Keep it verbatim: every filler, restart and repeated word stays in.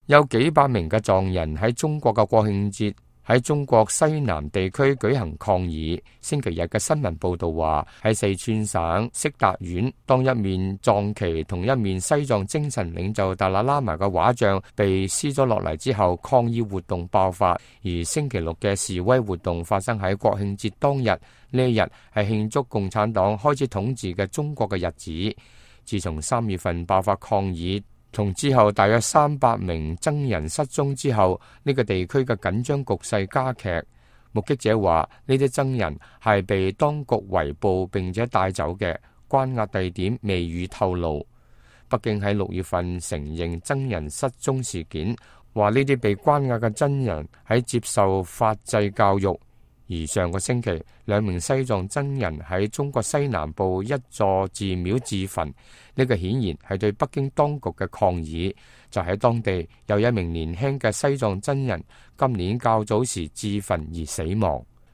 有幾百名嘅藏人喺中國嘅國慶節喺中國西南地區舉行抗議。星期日嘅新聞報道話，喺四川省色達縣，當一面藏旗同一面西藏精神領袖達賴喇嘛嘅畫像被撕咗落嚟之後，抗議活動爆發。而星期六嘅示威活動發生喺國慶節當日，呢一日係慶祝共產黨開始統治嘅中國嘅日子。自從三月份爆發抗議，同之後大約三百名僧人失蹤之後，呢、這個地區嘅緊張局勢加劇。目擊者話，呢啲僧人係被當局圍捕並且帶走嘅，關押地點未予透露。北京喺六月份承認僧人失蹤事件，話呢啲被關押嘅僧人喺接受法制教育。而上個星期，兩名西藏僧人喺中國西南部一座寺廟自焚，呢、這個顯然係對北京當局嘅抗議。就喺當地有一名年輕嘅西藏僧人今年較早時自焚而死亡。